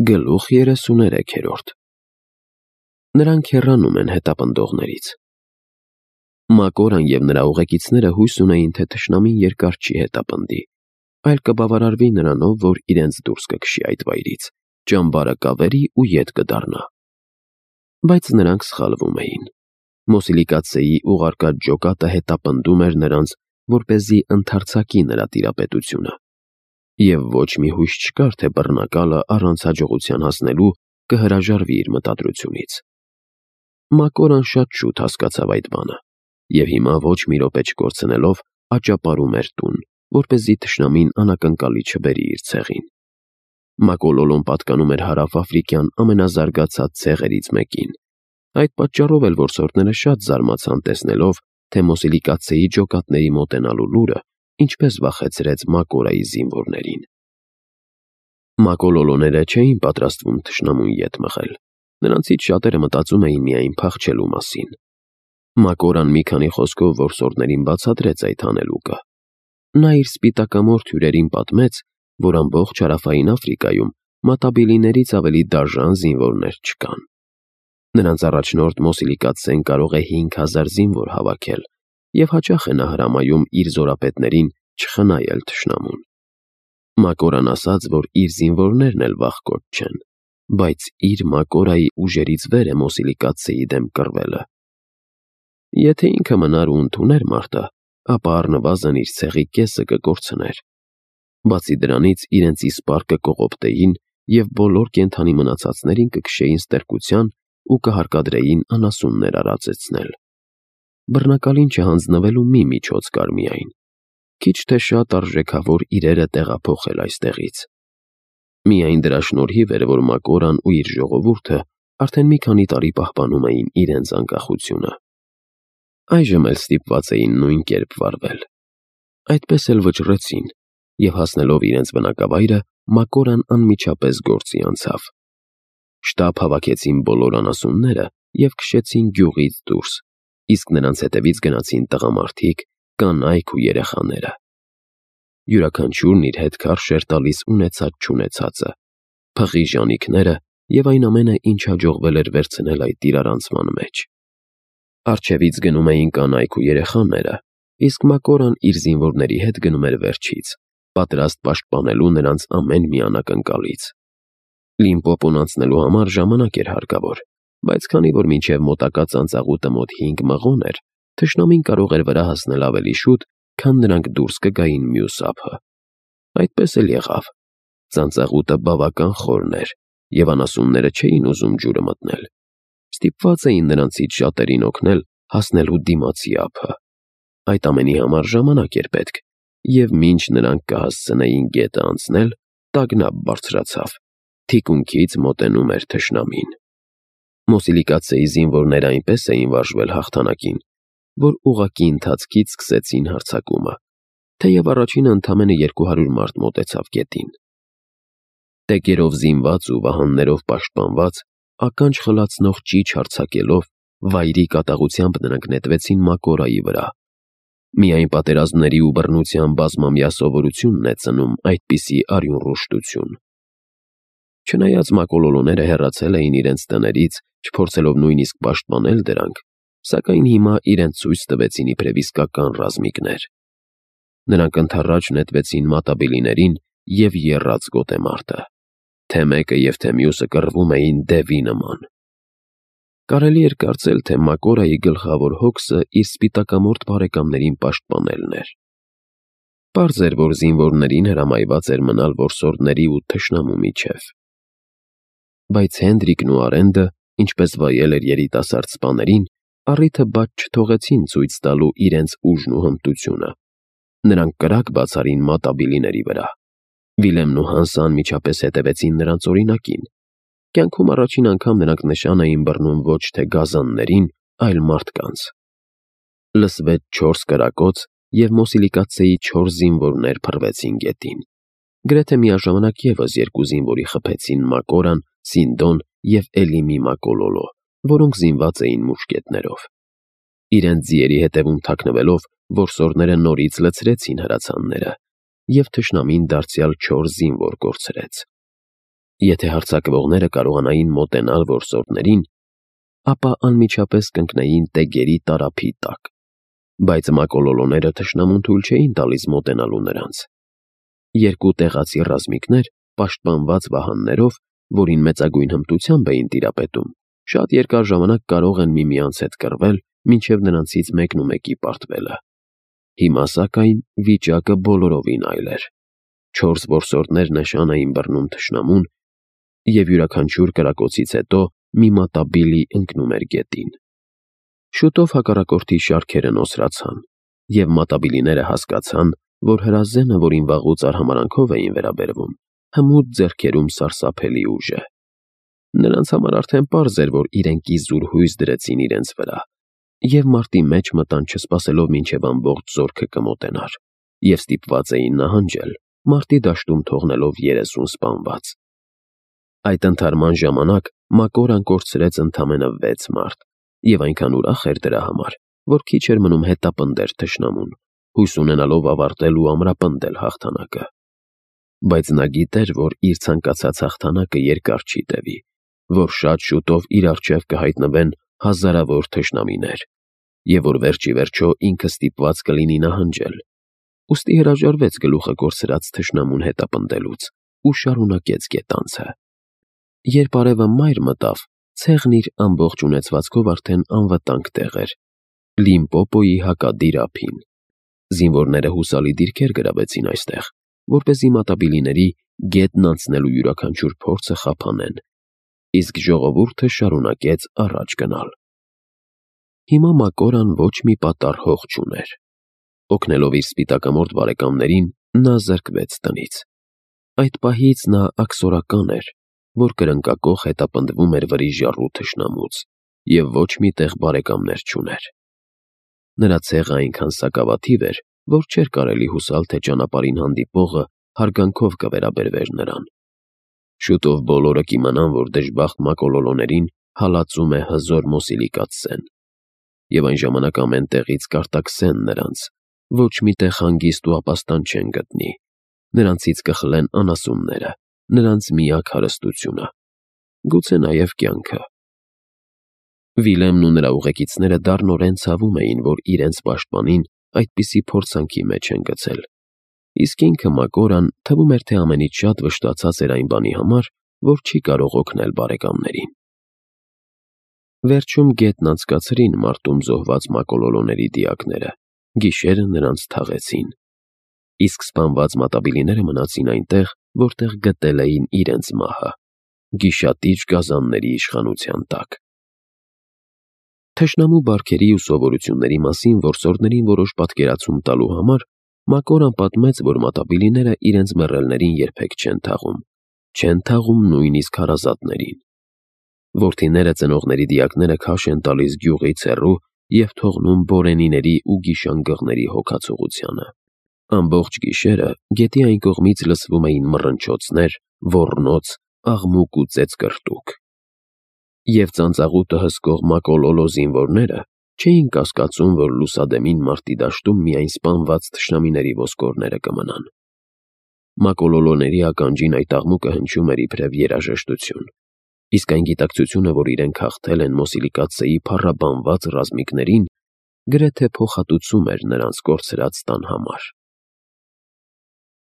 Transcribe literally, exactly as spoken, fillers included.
Գլուխ երեսուներեքերորդ Նրանք հեռանում են հետապնդողներից։ Մակորան և նրա ուղեկիցները հույս ունեին, թե թշնամին երկար չի հետապնդի, այլ կբավարարվի նրանով, որ իրենց դուրս կքշի այդ վայրից, ճամբարը կավերի ու ետ կդառնա։ Բայց նրանք սխալվում էին։ Մոսիլիկացեի ուղարկած ջոկատը հետապնդում էր նրանց, որպեսզի ընդարձակի նրա տիրապետությունը, և ոչ մի հույս չկար, թե բռնակալը առանց հաջողության հասնելու կհրաժարվի իր մտադրությունից։ Մակորան շատ շուտ հասկացավ այդ բանը, և հիմա ոչ մի րոպե չկորցնելով աճապարում էր տուն, որպեսզի թշնամին անակնկալի չբերի իր ցեղին։ Մակոլոլոն պատկանում էր հարավաֆրիկյան ամենազարգացած ցեղերից մեկին։ Այդ պատճառով էլ որսորդները շատ զարմացան տեսնելով, թե Մոսիլիկացեի ջոկատների մոտենալու լուրը ինչպես վախեցրեց Մակորայի զինվորներին։ Մակոլոլոները չէին պատրաստվում թշնամուն ետ մղել։ Նրանցից շատերը մտածում էին միայն փախչելու մասին։ Մակորան մի քանի խոսքով որսորդներին բացատրեց այդ հանելուկը։ Նա իր սպիտակամորթ հյուրերին պատմեց, որ ամբողջ հարավային Աֆրիկայում մատաբիլիներից ավելի դաժան զինվորներ չկան։ Նրանց առաջնորդ Մոսիլիկացեն կարող է հինգ հազար զինվոր հավաքել, և հաճախ է նա հրամայում իր զորապետներին չխնայել թշնամուն։ Մակորան ասաց, որ իր զինվորներն էլ վախկոտ չեն, բայց իր Մակորայի ուժերից վեր է Մոսիլիկացեի դեմ կռվելը։ Եթե ինքը մնար ու ընդուներ մարտը, ապա առնվազն իր ցեղի կեսը կկորցներ։ Բացի դրանից իրենց իսպառ կկողոպտեին և բոլոր կենդանի մնացածներին կքշեին ստրկության ու կհարկադրեին անասուններ արածեցնել։ Բռնակալին չհանձնվելու մի միջոց կար միայն՝ քիչ թե շատ արժեքավոր իրերը տեղափոխել այստեղից։ Միայն դրա շնորհիվ էր, որ Մակորան ու իր ժողովուրդը արդեն մի քանի տարի պահպանում էին իրենց անկախությունը։ Այժմ էլ ստիպված էին նույն կերպ վարվել։ Այդպես էլ վճռեցին, և հասնելով իրենց բնակավայրը, Մակորան անմիջապես գործի անցավ։ Շտապ հավաքեցին բոլոր անասունները և քշեցին գյուղից դուրս, իսկ նրանց հետևից գնացին տղամարդիկ, կանայք ու երեխաները։ Յուրաքանչյուրն իր հետ քարշ էր տալիս ունեցած-չունեցածը, փղի ժանիքները և այն ամենը, ինչ հաջողվել էր վերցնել այդ իրարանցման մեջ։ Առջևից գնում էին կանայք ու երեխաները, իսկ Մակորան իր զինվորների հետ գնում էր վերջից, պատրաստ պաշտպանելու նրանց ամեն մի անակնկալից։ Լիմպոպոն անցնելու համար ժամանակ էր հարկավոր, բայց քանի որ մինչև մոտակա ծանծաղուտը մոտ հինգ մղոն էր, թշնամին կարող էր վրա հասնել ավելի շուտ, քան նրանք դուրս կգային մյուս ափը։ Այդպես էլ եղավ։ Ծանծաղուտը բավական խորն էր, և անասունները չէին ուզում ջուրը մտնել։ Ստիպված էին նրանցից շատերին օգնել հասնելու դիմացի ափը։ Այդ ամենի համար ժամանակ էր պետք, և մինչ նրանք կհասցնեին գետը անցնել, տագնապ բարձրացավ։ Թիկունքից մոտենում էր թշնամին։ Մոսիլիկացեի զինվորները այնպես էին վարժվել հաղթանակին, որ ուղղակի ընթացքից սկսեցին հարձակումը, թեև առաջինը ընդամենը երկու հարյուր մարդ մոտեցավ գետին։ Տեկերով զինված ու վահաններով պաշտպանված, ականջ խլացնող ճիչ հարձակելով, վայրի կատաղությամբ նրանք նետվեցին Մակորայի վրա։ Միայն պատերազմների ու բռնության բազմամյա սովորությունն է ծնում այդպիսի արյունռուշտություն։ Չնայած մակոլոլոները հեռացել էին իրենց տներից, չփորձելով նույնիսկ պաշտպանել դրանք, սակայն հիմա իրենց ցույց տվեցին իբրև իսկական ռազմիկներ։ Նրանք ընդառաջ նետվեցին մատաբիլիներին և եռաց գոտեմարտը։ Թե մեկը և թե մյուսը կռվում էին դևի նման։ Կարելի էր կարծել, թե Մակորայի գլխավոր հոգսը իր սպիտակամորթ բարեկամներին պաշտպանելն էր։ Պարզ էր, որ զինվորներին հրամայված էր մնալ որսորդների ու թշնամու միջև։ Բայց Հենդրիկն ու Արենդը, ինչպես վայել էր երիտասարդ սպաներին, առիթը բաց չթողեցին ցույց տալու իրենց ուժն ու հմտությունը։ Նրանք կրակ բացարին մատաբիլիների վրա։ Վիլեմն ու Հանսը անմիջապես հետևեցին նրանց օրինակին։ Կյանքում առաջին անգամ նրանք նշան էին բռնում ոչ թե գազաններին, այլ մարդկանց։ Լսվեց չորս կրակոց, և Մոսիլիկացեի չորս զինվորներ փռվեցին գետին։ Գրեթե միաժամանակ ևս երկու զինվորի խփեցին Մակորան, Սինդոն և Էլիմի Մակոլոլո, որոնք զինված էին մուշկետներով։ Իրենց ձիերի հետևում թաքնվելով, որսորդները նորից լցրեցին հրացանները, և թշնամին դարձյալ չորս զինվոր կորցրեց։ Եթե հարձակվողները կարողանային մոտենալ որսորդներին, ապա անմիջապես կընկնեին տեգերի տարափի տակ, բայց մակոլոլոները թշնամուն թույլ չէին տալիս մոտենալու նրանց։ Երկու տեղացի ռազմիկներ, պաշտպանված վահաններով, որին մեծագույն հմտությամբ էին տիրապետում, շատ երկար ժամանակ կարող են միմյանց հետ կռվել, մինչև նրանցից մեկնումեկի պարտվելը։ Հիմա սակայն վիճակը բոլորովին այլ էր։ Չորս որսորդներ նշան էին բռնում թշնամուն, և յուրաքանչյուր կրակոցից հետո մի մատաբիլի ընկնում էր գետին։ Շուտով հակառակորդի շարքերը նոսրացան, և մատաբիլիները հասկացան, որ հրազենը, որին վաղուց արհամարհանքով էին վերաբերվում, հմուտ ձեռքերում սարսափելի ուժ է։ Նրանց համար արդեն պարզ էր, որ իրենք իզուր հույս դրեցին իրենց վրա, և մարտի մեջ մտան չսպասելով մինչև ամբողջ զորքը կմոտենար, և ստիպված էին նահանջել, մարտի դաշտում թողնելով երեսուն սպանված։ Այդ ընդհարման ժամանակ Մակորան կորցրեց ընդամենը վեց մարդ, և այնքան ուրախ էր դրա համար, որ քիչ էր մնում հետապնդեր թշնամուն, հույս ունենալով ավարտել ու ամրապնդել հաղթանակը։ Բայց նա գիտեր, որ իր ցանկացած հաղթանակը երկար չի տևի, որ շատ շուտով իր առջև կհայտնվեն հազարավոր թշնամիներ, և որ վերջիվերջո ինքը ստիպված կլինի նահանջել։ Ուստի հրաժարվեց գլուխը կորցրած թշնամուն հետապնդելուց ու շարունակեց գետանցը։ Երբ արևը մայր մտավ, ցեղն իր ամբողջ ունեցվածքով արդեն անվտանգ տեղ էր՝ Լիմպոպոյի հակադիր ափին։ Զինվորները հուսալի դիրքեր գրավեցին այստեղ, որպեսզի մատաբիլիների գետն անցնելու յուրաքանչյուր փորձը խափանեն, իսկ ժողովուրդը շարունակեց առաջ գնալ։ Հիմա Մակորան ոչ մի պատառ հող չուներ։ Օգնելով իր սպիտակամորթ բարեկամներին, նա զրկվեց տնից։ Այդ պահից նա աքսորական էր, որ կրնկակոխ հետապնդվում էր վրիժառու թշնամուց, և ոչ մի տեղ բարեկամներ չուներ։ Նրա ցեղը այնքան սակավաթիվ էր, որ չէր կարելի հուսալ, թե ճանապարհին հանդիպողը հարգանքով կվերաբերվեր նրան։ Շուտով բոլորը կիմանան, որ դժբախտ մակոլոլոներին հալածում է հզոր Մոսիլիկաց Սեն, և այն ժամանակ ամեն տեղից կարտաքսեն նրանց, ոչ մի տեղ հանգիստ ու ապաստան չեն գտնի, նրանցից կխլեն անասունները, նրանց միակ հարստությունը, գուցե նաև կյանքը։ Վիլեմն ու նրա ուղեկիցները դառնորեն ցավում էին, որ իրենց պաշտպանին այդպիսի փորձանքի մեջ են գցել, իսկ ինքը Մակորան թվում էր, թե ամենից շատ վշտացած էր այն բանի համար, որ չի կարող օգնել բարեկամներին։ Վերջում գետն անցկացրին մարտում զոհված մակոլոլոների դիակները, գիշերը նրանց թաղեցին, իսկ սպանված մատաբիլիները մնացին այնտեղ, որտեղ գտել էին իրենց մահը՝ գիշատիչ գազանների իշխանության տակ։ Թշնամու բարքերի ու սովորությունների մասին որսորդներին որոշ պատկերացում տալու համար Մակորան պատմեց, որ մատաբիլիները իրենց մեռելներին երբեք չեն թաղում, չեն թաղում նույնիսկ հարազատներին։ Որդիները ծնողների դիակները քաշ են տալիս գյուղից հեռու և թողնում բորենիների ու գիշանգղների հոգացողությանը։ Ամբողջ գիշերը գետի այն կողմից լսվում էին մռնչոցներ, ոռնոց, աղմուկ ու ծեծկռտուք։ Եվ ծանծաղուտը հսկող մակոլոլո զինվորները չէին կասկածում, որ լուսադեմին մարտի դաշտում միայն սպանված թշնամիների ոսկորները կմնան։ Մակոլոլոների ականջին այդ աղմուկը հնչում էր իբրև երաժշտություն, իսկ այն գիտակցությունը, որ իրենք հաղթել են Մոսիլիկացեի փառաբանված ռազմիկներին, գրեթե փոխհատուցում էր նրանց կորցրած տան համար։